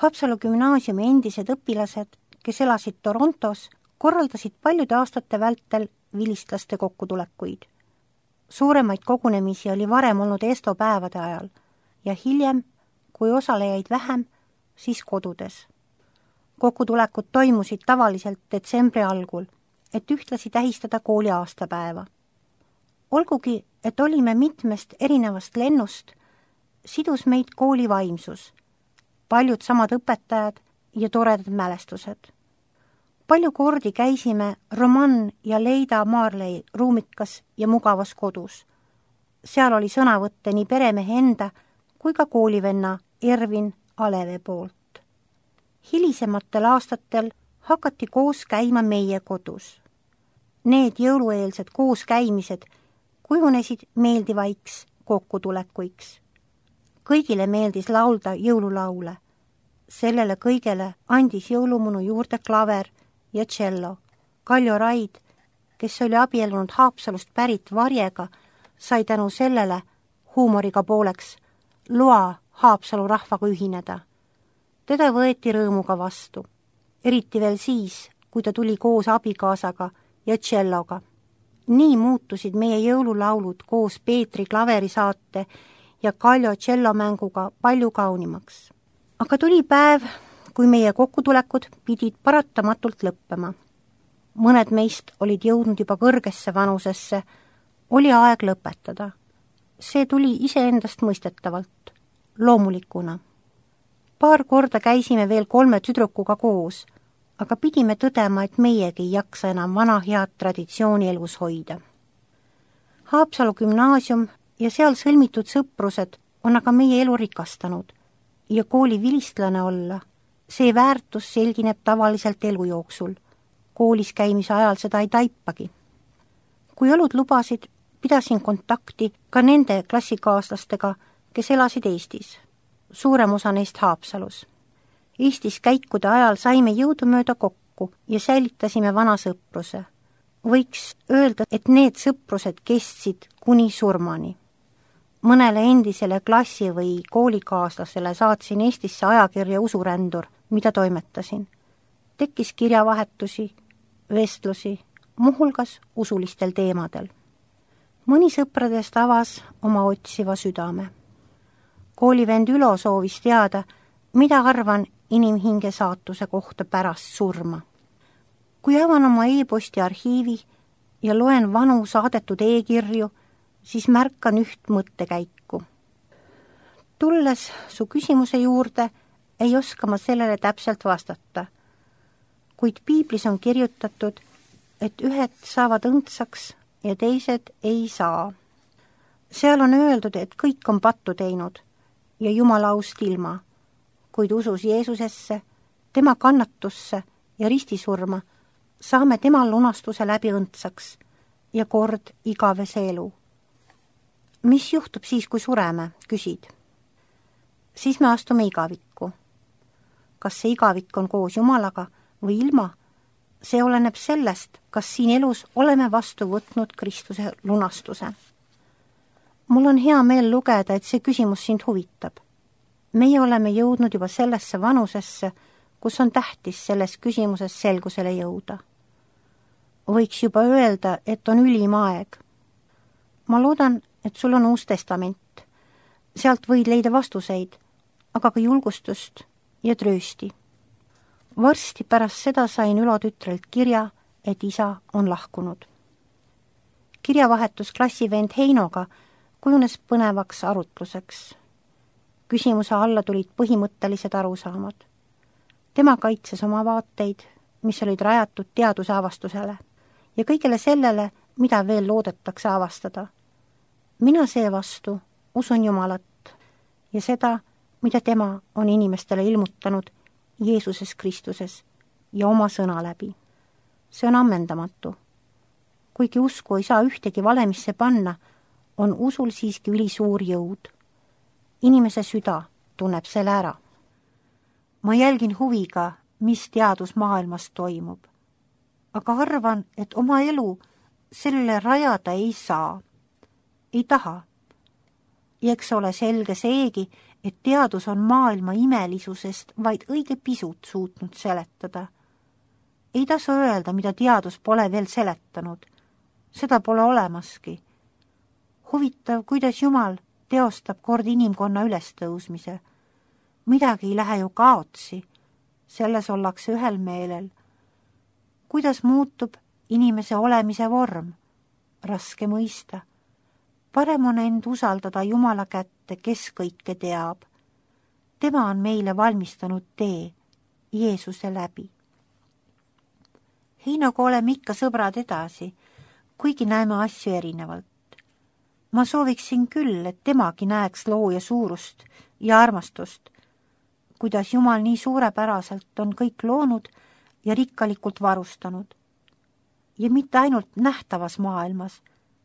Haapsalu gümnaasiumi endised õpilased, kes elasid Torontos, korraldasid paljude aastate vältel vilistlaste kokkutulekuid. Suuremaid kogunemisi oli varem olnud ESTO päevade ajal ja hiljem, kui osalejaid vähem, siis kodudes. Kokkutulekud toimusid tavaliselt detsembri algul, et ühtlasi tähistada kooli aastapäeva. Olgugi, et olime mitmest erinevast lennust, sidus meid kooli vaimsus, paljud samad õpetajad ja toredad mälestused. Palju kordi käisime Roman ja Leida Marley ruumikas ja mugavas kodus. Seal oli sõnavõtte nii peremehe enda kui ka koolivenna Ervin Aleve poolt. Hilisematel aastatel hakati koos käima meie kodus. Need jõulueelsed kooskäimised kujunesid meeldivaiks kokkutulekuiks. Kõigile meeldis laulda jõululaule. Sellele kõigele andis jõulumunu juurde klaver ja tšello. Kaljo Raid, kes oli abiellunud Haapsalust pärit Varjega, sai tänu sellele huumoriga pooleks loa Haapsalu rahvaga ühineda. Teda võeti rõõmuga vastu, eriti veel siis, kui ta tuli koos abikaasaga ja tšelloga. Nii muutusid meie jõululaulud koos Peetri klaverisaate ja Kaljo tšellomänguga palju kaunimaks. Aga tuli päev, kui meie kokkutulekud pidid paratamatult lõppema. Mõned meist olid jõudnud juba kõrgesse vanusesse, oli aeg lõpetada. See tuli iseendast mõistetavalt, loomulikuna. Paar korda käisime veel 3 tüdrukuga koos, aga pidime tõdema, et meiegi ei jaksa enam vana head traditsiooni elus hoida. Haapsalu gümnaasium ja seal sõlmitud sõprused on aga meie elu rikastanud ja kooli vilistlane olla, see väärtus selgineb tavaliselt elu jooksul. Koolis käimise ajal seda ei taipagi. Kui olud lubasid, pidasin kontakti ka nende klassikaaslastega, kes elasid Eestis. Suurem osa neist Haapsalus. Eestis käikude ajal saime jõudumööda kokku ja säilitasime vana sõpruse. Võiks öelda, et need sõprused kestsid kuni surmani. Mõnele endisele klassi- või koolikaaslasele saatsin Eestisse ajakirja Usurändur, mida toimetasin. Tekkis kirjavahetusi, vestlusi, muuhulgas usulistel teemadel. Mõni sõpradest avas oma otsiva südame. Koolivend Ülo soovis teada, mida arvan inimhinge saatuse kohta pärast surma. Kui avan oma e-posti arhiivi ja loen vanu saadetud e-kirju, siis märkan üht mõttekäiku. Tulles su küsimuse juurde, ei oska ma sellele täpselt vastata. Kuid piiblis on kirjutatud, et ühed saavad õndsaks ja teised ei saa. Seal on öeldud, et kõik on pattu teinud ja Jumala aust ilma, kuid usus Jeesusesse, tema kannatusse ja ristisurma, saame tema lunastuse läbi õndsaks ja kord igavese elu. Mis juhtub siis, kui sureme, küsid? Siis me astume igavikku. Kas see igavik on koos Jumalaga või ilma? See oleneb sellest, kas siin elus oleme vastu võtnud Kristuse lunastuse. Mul on hea meel lugeda, et see küsimus sind huvitab. Meie oleme jõudnud juba sellesse vanusesse, kus on tähtis selles küsimuses selgusele jõuda. Võiks juba öelda, et on ülim aeg. Ma loodan, et sul on Uus Testament. Sealt võid leida vastuseid, aga ka julgustust ja tröösti. Varsti pärast seda sain Ülo tütrelt kirja, et isa on lahkunud. Kirjavahetus klassivend Heinoga kujunes põnevaks arutluseks. Küsimuse alla tulid põhimõttelised arusaamad. Tema kaitses oma vaateid, mis olid rajatud teaduse avastusele ja kõigele sellele, mida veel loodetakse avastada. Mina seevastu usun Jumalat ja seda, mida tema on inimestele ilmutanud Jeesuses Kristuses ja oma sõna läbi. See on ammendamatu. Kuigi usku ei saa ühtegi valemisse panna, on usul siiski ülisuur jõud. Inimese süda tunneb selle ära. Ma jälgin huviga, mis teadusmaailmas toimub. Aga arvan, et oma elu sellele rajada ei saa. Ei taha. Ja eks ole selge seegi, et teadus on maailma imelisusest vaid õige pisut suutnud seletada. Ei tasu öelda, mida teadus pole veel seletanud. Seda pole olemaski. Huvitav, kuidas Jumal teostab kord inimkonna ülestõusmise. Midagi ei lähe ju kaotsi. Selles ollakse ühel meelel. Kuidas muutub inimese olemise vorm? Raske mõista. Parem on end usaldada Jumala kätte, kes kõike teab. Tema on meile valmistanud tee Jeesuse läbi. Heinoga oleme ikka sõbrad edasi, kuigi näeme asju erinevalt. Ma sooviksin küll, et temagi näeks looja suurust ja armastust, kuidas Jumal nii suurepäraselt on kõik loonud ja rikkalikult varustanud. Ja mitte ainult nähtavas maailmas,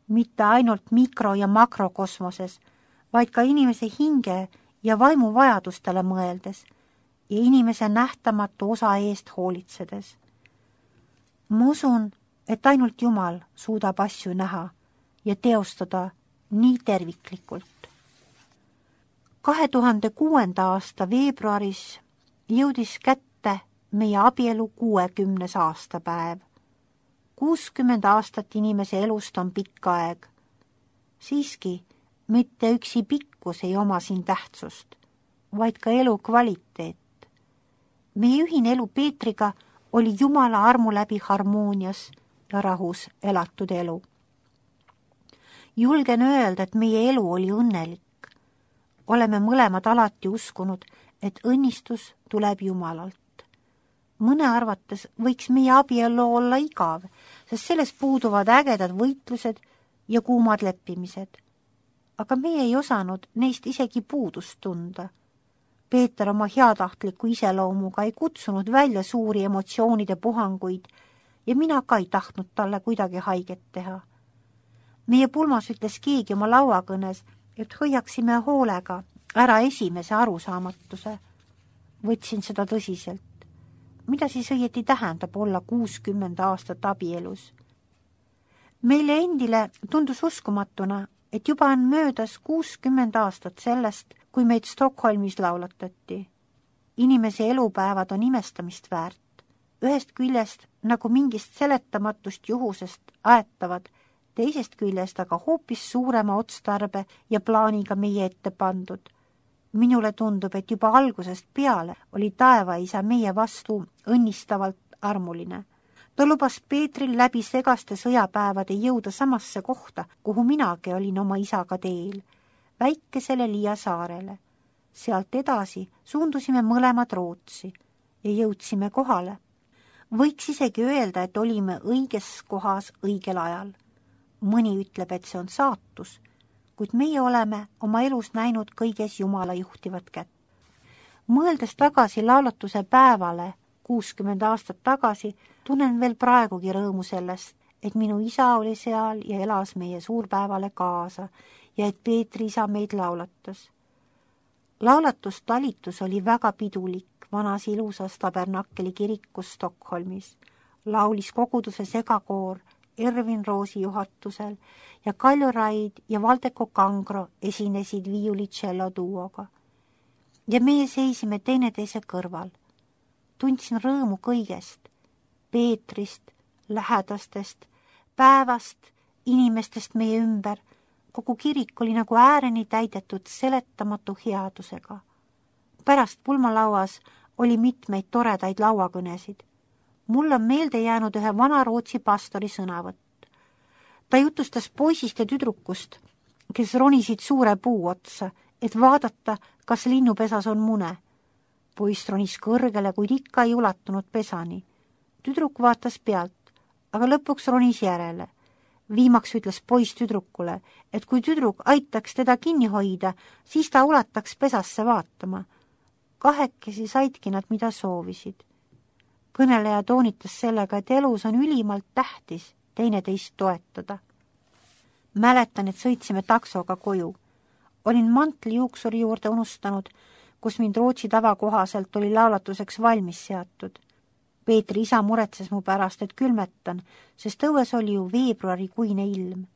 mitte ainult mikro- ja makrokosmoses, vaid ka inimese hinge ja vaimu vajadustele mõeldes ja inimese nähtamatu osa eest hoolitsedes. Ma usun, et ainult Jumal suudab asju näha ja teostada nii terviklikult. 2006. aasta veebruaris jõudis kätte meie abielu 60. aastapäev. 60 aastat inimese elust on pikk aeg. Siiski mitte üksi pikkus ei oma siin tähtsust, vaid ka elu kvaliteet. Meie ühine elu Peetriga oli Jumala armu läbi harmoonias ja rahus elatud elu. Julgen öelda, et meie elu oli õnnelik. Oleme mõlemad alati uskunud, et õnnistus tuleb Jumalalt. Mõne arvates võiks meie abielu olla igav, sest selles puuduvad ägedad võitlused ja kuumad leppimised. Aga meie ei osanud neist isegi puudust tunda. Peeter oma heatahtliku iseloomuga ei kutsunud välja suuri emotsioonide puhanguid ja mina ka ei tahtnud talle kuidagi haiget teha. Meie pulmas ütles keegi oma lauakõnes, et hoiaksime hoolega ära esimese arusaamatuse. Võtsin seda tõsiselt. Mida siis õieti tähendab olla 60 aastat abielus? Meile endile tundus uskumatuna, et juba on möödas 60 aastat sellest, kui meid Stockholmis laulatati. Inimese elupäevad on imestamist väärt. Ühest küljest nagu mingist seletamatust juhusest aetavad, teisest küljest aga hoopis suurema otstarbe ja plaaniga meie ette pandud. Minule tundub, et juba algusest peale oli taevaisa meie vastu õnnistavalt armuline. Ta lubas Peetril läbi segaste sõjapäevade jõuda samasse kohta, kuhu minagi olin oma isaga teel, väikesele Liia saarele. Sealt edasi suundusime mõlemad Rootsi ja jõudsime kohale. Võiks isegi öelda, et olime õiges kohas õigel ajal. Mõni ütleb, et see on saatus, kuid meie oleme oma elus näinud kõiges Jumala juhtivat kätt. Mõeldes tagasi laulatuse päevale 60 aastat tagasi, tunnen veel praegugi rõõmu sellest, et minu isa oli seal ja elas meie suurpäevale kaasa ja et Peetri isa meid laulatas. Laulatustalitus oli väga pidulik vanas ilusas Tabernakeli kirikus Stockholmis. Laulis koguduse segakoor Ervin Roosi juhatusel ja Kaljo Raid ja Valdeko Kangro esinesid viiulitšello duoga. Ja meie seisime teineteise kõrval. Tundsin rõõmu kõigest, Peetrist, lähedastest, päevast, inimestest meie ümber. Kogu kirik oli nagu ääreni täidetud seletamatu headusega. Pärast pulmalauas oli mitmeid toredaid lauakõnesid. Mul on meelde jäänud ühe vana Rootsi pastori sõnavõtt. Ta jutustas poisist ja tüdrukust, kes ronisid suure puu otsa, et vaadata, kas linnupesas on mune. Poiss ronis kõrgele, kuid ikka ei ulatunud pesani. Tüdruk vaatas pealt, aga lõpuks ronis järele. Viimaks ütles poiss tüdrukule, et kui tüdruk aitaks teda kinni hoida, siis ta ulataks pesasse vaatama. Kahekesi saidki nad, mida soovisid. Kõneleja toonitas sellega, et elus on ülimalt tähtis teineteist toetada. Mäletan, et sõitsime taksoga koju. Olin mantli juuksuri juurde unustanud, kus mind Rootsi tavakohaselt oli laulatuseks valmis seatud. Peetri isa muretses mu pärast, et külmetan, sest õues oli ju veebruarikuine ilm.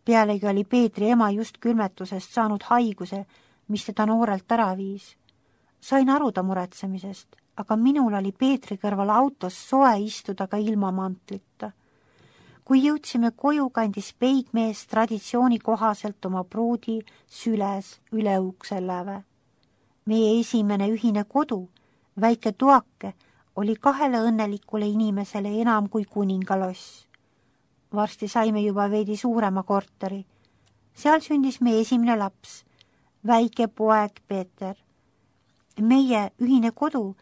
Pealegi oli Peetri ema just külmetusest saanud haiguse, mis teda noorelt ära viis. Sain aru ta muretsemisest, aga minul oli Peetri kõrval autos soe istuda ka ilma mantlita. Kui jõudsime koju, kandis peigmees traditsiooni kohaselt oma pruudi süles üle ukse läve. Meie esimene ühine kodu, väike tuake, oli 2 õnnelikule inimesele enam kui kuningaloss. Varsti saime juba veidi suurema korteri. Seal sündis meie esimene laps, väike poeg Peeter. Meie ühine kodu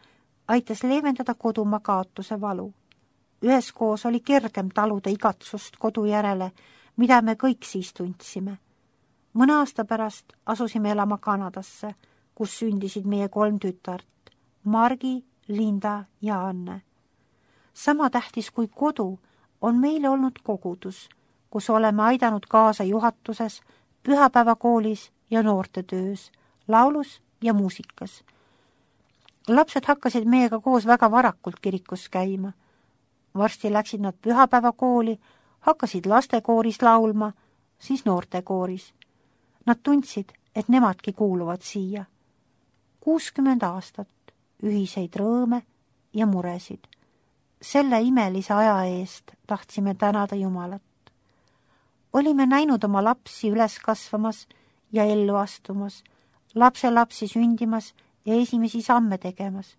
aitas leevendada kodumaa kaotuse valu. Üheskoos oli kergem taluda igatsust kodu järele, mida me kõik siis tundsime. Mõne aasta pärast asusime elama Kanadasse, kus sündisid meie 3 tütart, Margi, Linda ja Anne. Sama tähtis kui kodu on meile olnud kogudus, kus oleme aidanud kaasa juhatuses, pühapäevakoolis ja noortetöös, laulus ja muusikas. Lapsed hakkasid meiega koos väga varakult kirikus käima. Varsti läksid nad pühapäevakooli, hakkasid lastekooris laulma, siis noortekooris. Nad tundsid, et nemadki kuuluvad siia. 60 aastat, ühiseid rõõme ja muresid. Selle imelise aja eest tahtsime tänada Jumalat. Olime näinud oma lapsi üles kasvamas ja ellu astumas, lapselapsi sündimas ja esimesi samme tegemas.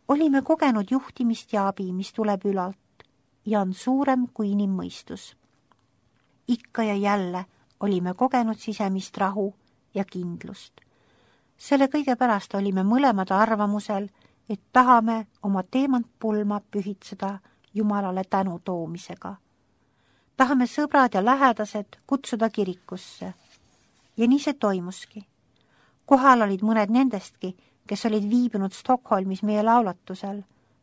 Olime kogenud juhtimist ja abi, mis tuleb ülalt ja on suurem kui inimmõistus. Ikka ja jälle olime kogenud sisemist rahu ja kindlust. Selle kõige pärast olime mõlemad arvamusel, et tahame oma teemantpulma pühitseda Jumalale tänu toomisega. Tahame sõbrad ja lähedased kutsuda kirikusse. Ja nii see toimuski. Kohal olid mõned nendestki, kes olid viibinud Stockholmis meie laulatusel,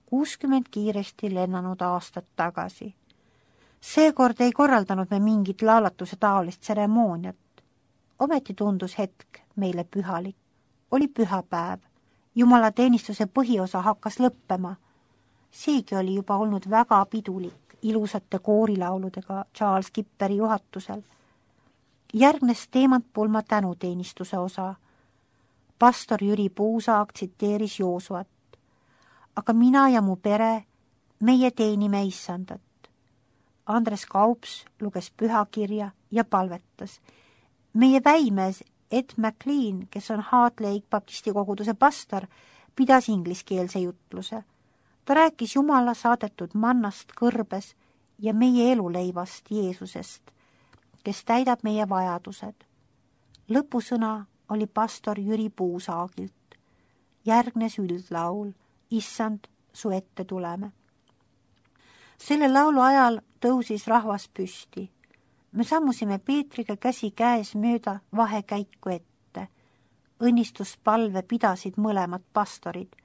60 kiiresti lennanud aastat tagasi. Seekord ei korraldanud me mingit laulatuse taolist tseremooniat. Ometi tundus hetk meile pühalik. Oli pühapäev. Jumala teenistuse põhiosa hakkas lõppema. Seegi oli juba olnud väga pidulik ilusate koorilauludega Charles Kipperi juhatusel. Järgnes teemantpulma tänuteenistuse osa. Pastor Jüri Puusaag tsiteeris Joosuat. Aga mina ja mu pere, meie teenime Issandat. Andres Kaups luges pühakirja ja palvetas. Meie väimees Ed McLean, kes on Heart Lake baptisti koguduse pastor, pidas ingliskeelse jutluse. Ta rääkis Jumala saadetud mannast kõrbes ja meie eluleivast Jeesusest, kes täidab meie vajadused. Lõpusõna oli pastor Jüri Puusaagilt. Järgnes üldlaul, Issand, su ette tuleme. Selle laulu ajal tõusis rahvas püsti. Me sammusime Peetriga käsi käes mööda vahekäiku ette. Õnnistuspalve pidasid mõlemad pastorid,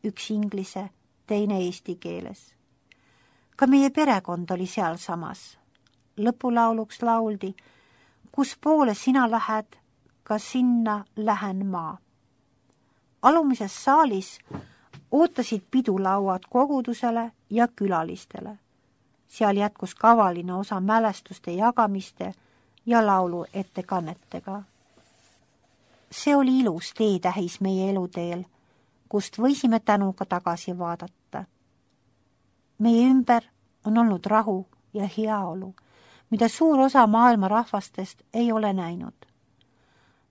üks inglise, teine eesti keeles. Ka meie perekond oli sealsamas. Lõpulauluks lauldi, kus poole sina lähed, ka sinna lähen ma. Alumises saalis ootasid pidulauad kogudusele ja külalistele. Seal jätkus kavaline osa mälestuste jagamiste ja laulu ettekannetega. See oli ilus teetähis meie eluteel, kust võisime tänuga tagasi vaadata. Meie ümber on olnud rahu ja heaolu, mida suur osa maailma rahvastest ei ole näinud.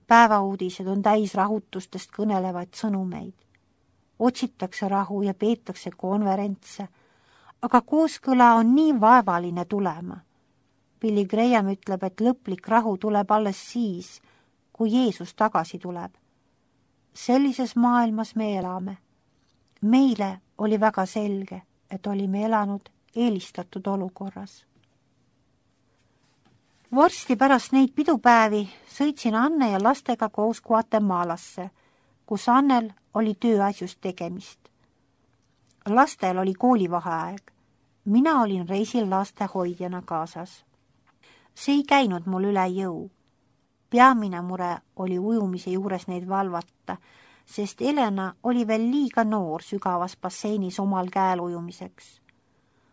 Päevauudised on täis rahutustest kõnelevaid sõnumeid. Otsitakse rahu ja peetakse konverentse, aga kooskõla on nii vaevaline tulema. Billy Graham ütleb, et lõplik rahu tuleb alles siis, kui Jeesus tagasi tuleb. Sellises maailmas me elame. Meile oli väga selge, et olime elanud eelistatud olukorras. Vorsti pärast neid pidupäevi sõitsin Anne ja lastega koos Guatemalasse, kus Annel oli tööasjust tegemist. Lastel oli koolivaheaeg. Mina olin reisil lastehoidjana kaasas. See ei käinud mul üle jõu. Peamine mure oli ujumise juures neid valvata, sest Elena oli veel liiga noor sügavas basseinis omal käel ujumiseks.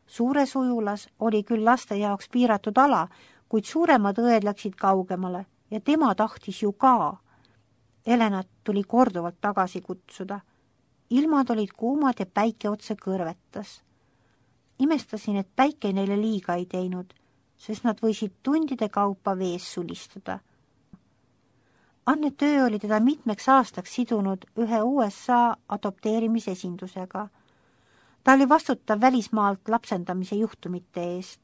Suures ujulas oli küll laste jaoks piiratud ala, kuid suuremad õed läksid kaugemale ja tema tahtis ju ka. Helenat tuli korduvalt tagasi kutsuda. Ilmad olid kuumad ja päike otse kõrvetas. Imestasin, et päike neile liiga ei teinud, sest nad võisid tundide kaupa vees sulistada. Anne töö oli teda mitmeks aastaks sidunud ühe USA adopteerimisesindusega. Ta oli vastutav välismaalt lapsendamise juhtumite eest.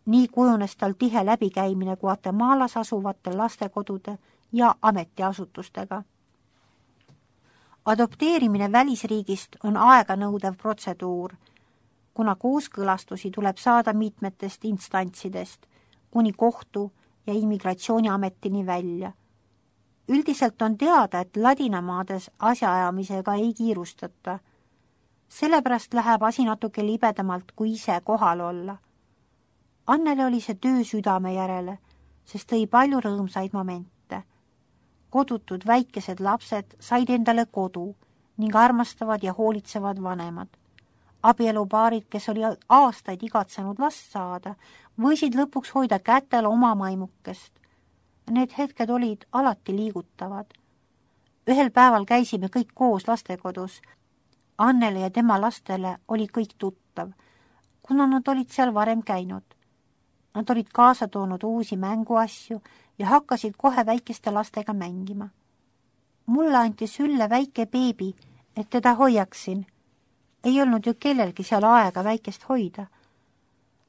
Nii kujunes tal tihe läbikäimine Guatemalas asuvate lastekodude ja ametiasutustega. Adopteerimine välisriigist on aeganõudev protseduur, kuna kooskõlastusi tuleb saada mitmetest instantsidest, kuni kohtu ja immigratsiooniametini välja. Üldiselt on teada, et ladinamaades asjaajamisega ei kiirustata. Sellepärast läheb asi natuke libedamalt, kui ise kohal olla. Annele oli see töö südame järele, sest tõi palju rõõmsaid momente. Kodutud väikesed lapsed said endale kodu ning armastavad ja hoolitsevad vanemad. Abielupaarid, kes oli aastaid igatsenud last saada, võisid lõpuks hoida kätel oma maimukest. Need hetked olid alati liigutavad. Ühel päeval käisime kõik koos lastekodus. Annele ja tema lastele oli kõik tuttav, kuna nad olid seal varem käinud. Nad olid kaasa toonud uusi mänguasju ja hakkasid kohe väikeste lastega mängima. Mulle anti sülle väike beebi, et teda hoiaksin. Ei olnud ju kellelgi seal aega väikest hoida.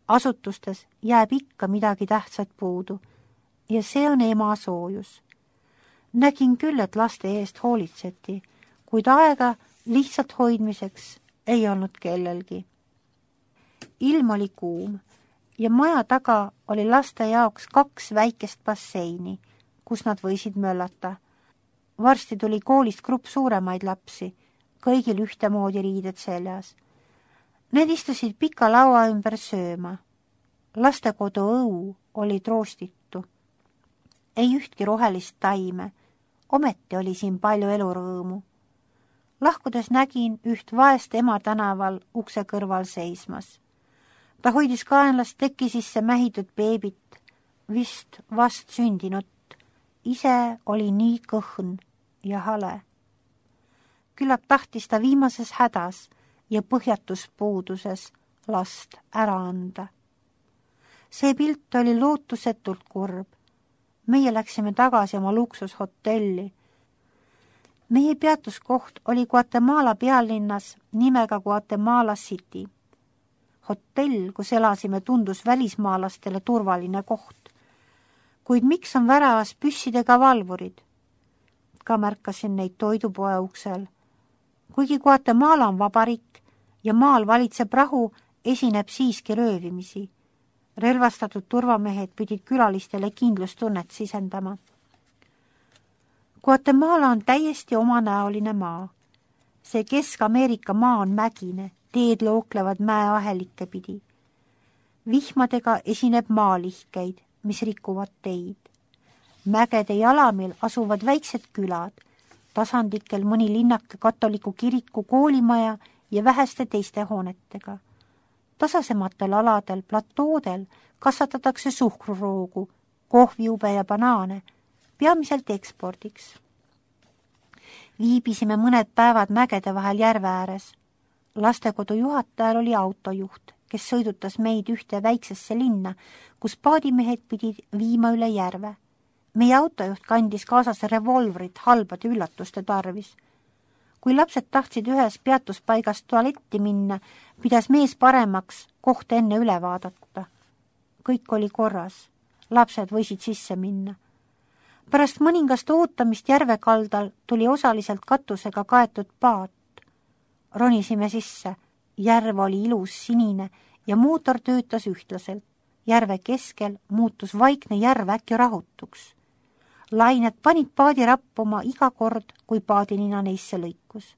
Asutustes jääb ikka midagi tähtsat puudu ja see on ema soojus. Nägin küll, et laste eest hoolitseti, kuid aega lihtsalt hoidmiseks ei olnud kellelgi. Ilm oli kuum ja maja taga oli laste jaoks 2 väikest basseini, kus nad võisid möllata. Varsti tuli koolist grupp suuremaid lapsi, kõigil ühtemoodi riided seljas. Need istusid pika laua ümber sööma. Lastekodu õu oli troostitu. Ei ühtki rohelist taime, ometi oli siin palju elurõõmu. Lahkudes nägin üht vaest ema tänaval ukse kõrval seismas. Ta hoidis kaenlast teki sisse mähitud beebit, vist vast sündinut. Ise oli nii kõhn ja hale. Küllap tahtis ta viimases hädas ja põhjatus puuduses last ära anda. See pilt oli lootusetult kurb. Meie läksime tagasi oma luksushotelli. Meie peatuskoht oli Guatemala pealinnas nimega Guatemala City. Hotell, kus elasime, tundus välismaalastele turvaline koht. Kuid miks on väravas püssidega valvurid? Ka märkasin neid toidupoe uksel. Kuigi Guatemala on vabariik ja maal valitseb rahu, esineb siiski röövimisi. Relvastatud turvamehed pidid külalistele kindlustunnet sisendama. Guatemala on täiesti omanäoline maa. See Kesk-Ameerika maa on mägine, teed looklevad mäeahelikke pidi. Vihmadega esineb maalihkeid, mis rikuvad teid. Mägede jalamil asuvad väiksed külad, tasandikel mõni linnake katoliku kiriku koolimaja ja väheste teiste hoonetega. Tasasematel aladel, platoodel kasvatatakse suhkruroogu, kohvijube ja banaane, peamiselt ekspordiks. Viibisime mõned päevad mägede vahel järve ääres. Lastekodu juhatajal oli autojuht, kes sõidutas meid ühte väiksesse linna, kus paadimehed pidid viima üle järve. Meie autojuht kandis kaasas revolvrit halbade üllatuste tarvis. Kui lapsed tahtsid ühes peatuspaigas tualetti minna, pidas mees paremaks koht enne üle vaadata. Kõik oli korras. Lapsed võisid sisse minna. Pärast mõningast ootamist järvekaldal tuli osaliselt katusega kaetud paat. Ronisime sisse. Järv oli ilus sinine ja mootor töötas ühtlaselt. Järve keskel muutus vaikne järv äkki rahutuks. Lained panid paadi rappuma iga kord, kui paadinina neisse lõikus.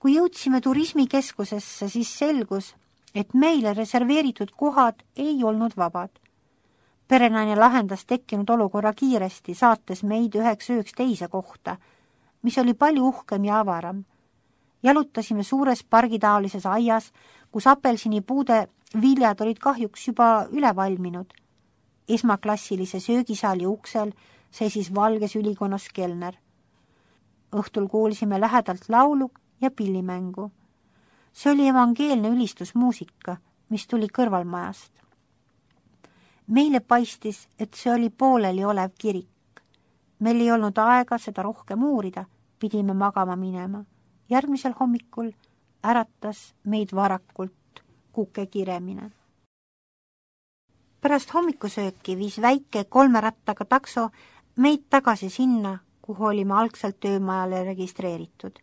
Kui jõudsime turismikeskusesse, siis selgus, et meile reserveeritud kohad ei olnud vabad. Perenaine lahendas tekkinud olukorra kiiresti, saates meid 1 ööks teise kohta, mis oli palju uhkem ja avaram. Jalutasime suures pargitaolises aias, kus apelsinipuude viljad olid kahjuks juba üle valminud. Esmaklassilise söögisaali uksel seisis valges ülikonnas kelner. Õhtul kuulsime lähedalt laulu ja pillimängu. See oli evangeelne ülistusmuusika, mis tuli kõrvalmajast. Meile paistis, et see oli pooleli olev kirik. Meil ei olnud aega seda rohkem uurida, pidime magama minema. Järgmisel hommikul äratas meid varakult kuke kiremine. Pärast hommikusööki viis väike 3 rattaga takso meid tagasi sinna, kuhu olime algselt töömajale registreeritud.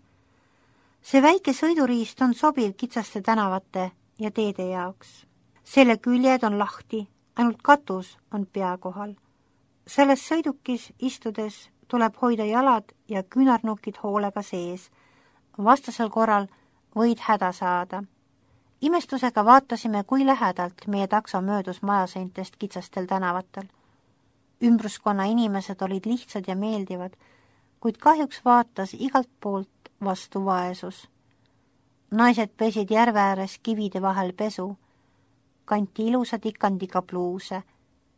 See väike sõiduriist on sobiv kitsaste tänavate ja teede jaoks. Selle küljed on lahti, ainult katus on pea kohal. Selles sõidukis istudes tuleb hoida jalad ja küünarnukid hoolega sees. Vastasel korral võid häda saada. Imestusega vaatasime, kui lähedalt meie takso möödus majaseintest kitsastel tänavatel. Ümbruskonna inimesed olid lihtsad ja meeldivad, kuid kahjuks vaatas igalt poolt vastu vaesus. Naised pesid järve ääres kivide vahel pesu, kanti ilusa tikandiga pluuse,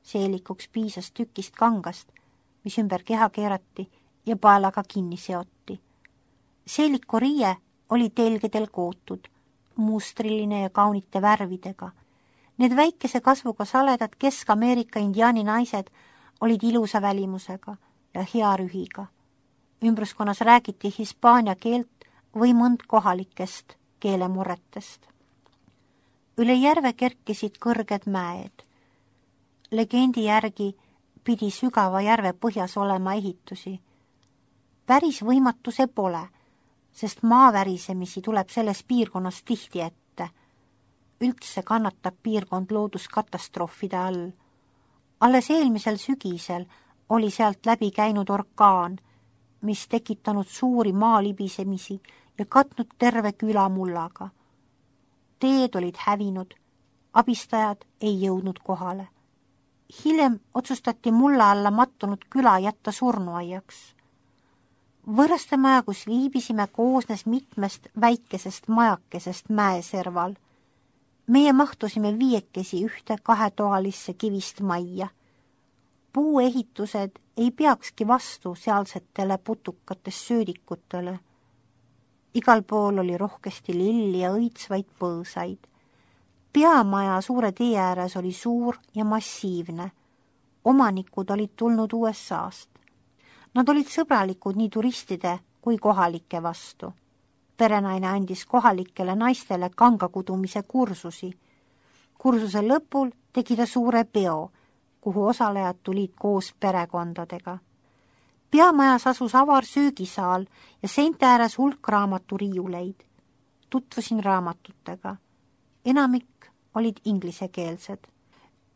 seelikuks piisas tükist kangast, mis ümber keha keerati ja paelaga kinni seoti. Seeliku riie oli telgedel kootud, mustriline ja kaunite värvidega. Need väikese kasvuga saledad Kesk-Ameerika indiaani naised olid ilusa välimusega ja hea rühiga. Ümbruskonnas räägiti hispaania keelt või mõnd kohalikest keelemurretest. Üle järve kerkisid kõrged mäed. Legendi järgi pidi sügava järve põhjas olema ehitusi. Päris võimatu see pole, sest maavärisemisi tuleb selles piirkonnas tihti ette. Üldse kannatab piirkond looduskatastroofide all. Alles eelmisel sügisel oli sealt läbi käinud orkaan, mis tekitanud suuri maalibisemisi ja katnud terve küla mullaga. Teed olid hävinud, abistajad ei jõudnud kohale. Hiljem otsustati mulla alla mattunud küla jätta surnuaiaks. Võõrastemaja, kus viibisime, koosnes mitmest väikesest majakesest mäeserval. Meie mahtusime 5 ühte 2-toalisse kivist majja. Puuehitused ei peakski vastu sealsetele putukatest söödikutele. Igal pool oli rohkesti lilli ja õitsvaid põõsaid. Peamaja suure tee ääres oli suur ja massiivne. Omanikud olid tulnud USA-st. Nad olid sõbralikud nii turistide kui kohalike vastu. Perenaine andis kohalikele naistele kangakudumise kursusi. Kursuse lõpul tegi ta suure peo, kuhu osalejad tulid koos perekondadega. Peamajas asus avar söögisaal ja seinte ääres hulk raamaturiiuleid. Tutvusin raamatutega. Enamik olid inglisekeelsed.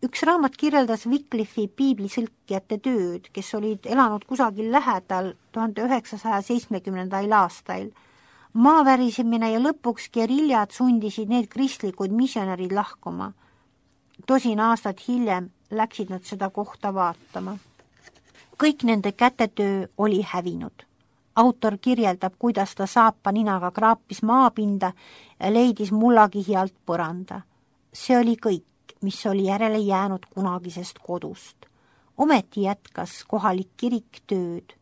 Üks raamat kirjeldas Wycliffi piiblisõlkijate tööd, kes olid elanud kusagil lähedal 1970. aastail. Maavärisemine ja lõpuks geriljad sundisid need kristlikud missionärid lahkuma. 2 aastat hiljem läksid nad seda kohta vaatama. Kõik nende kätetöö oli hävinud. Autor kirjeldab, kuidas ta saapa ninaga kraapis maapinda ja leidis mullakihi alt põranda. See oli kõik, mis oli järele jäänud kunagisest kodust. Ometi jätkas kohalik kirik tööd.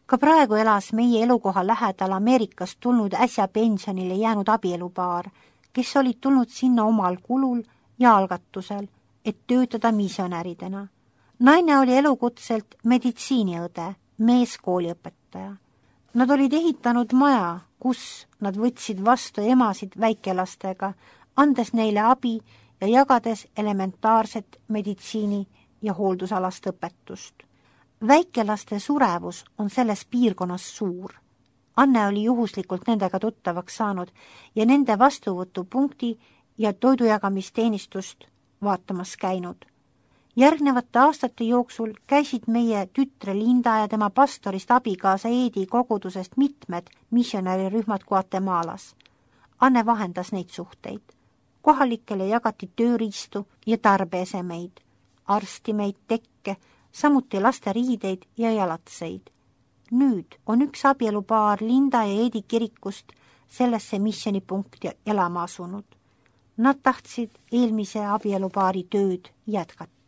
Ka praegu elas meie elukoha lähedal Ameerikast tulnud äsja pensionile jäänud abielupaar, kes olid tulnud sinna omal kulul ja algatusel, et töötada missionäridena. Naine oli elukutselt meditsiiniõde, mees kooliõpetaja. Nad olid ehitanud maja, kus nad võtsid vastu emasid väikelastega, andes neile abi ja jagades elementaarset meditsiini ja hooldusalast õpetust. Väikelaste surevus on selles piirkonnas suur. Anne oli juhuslikult nendega tuttavaks saanud ja nende vastuvõtupunkti ja toidujagamisteenistust vaatamas käinud. Järgnevate aastate jooksul käisid meie tütre Linda ja tema pastorist abikaasa Eedi kogudusest mitmed missionärirühmad Guatemalas. Anne vahendas neid suhteid. Kohalikele jagati tööriistu ja tarbeesemeid, arstimeid, tekke, samuti laste riideid ja jalatseid. Nüüd on üks abielupaar Linda ja Eedi kirikust sellesse missionipunkti elama asunud. Nad tahtsid eelmise abielupaari tööd jätkata.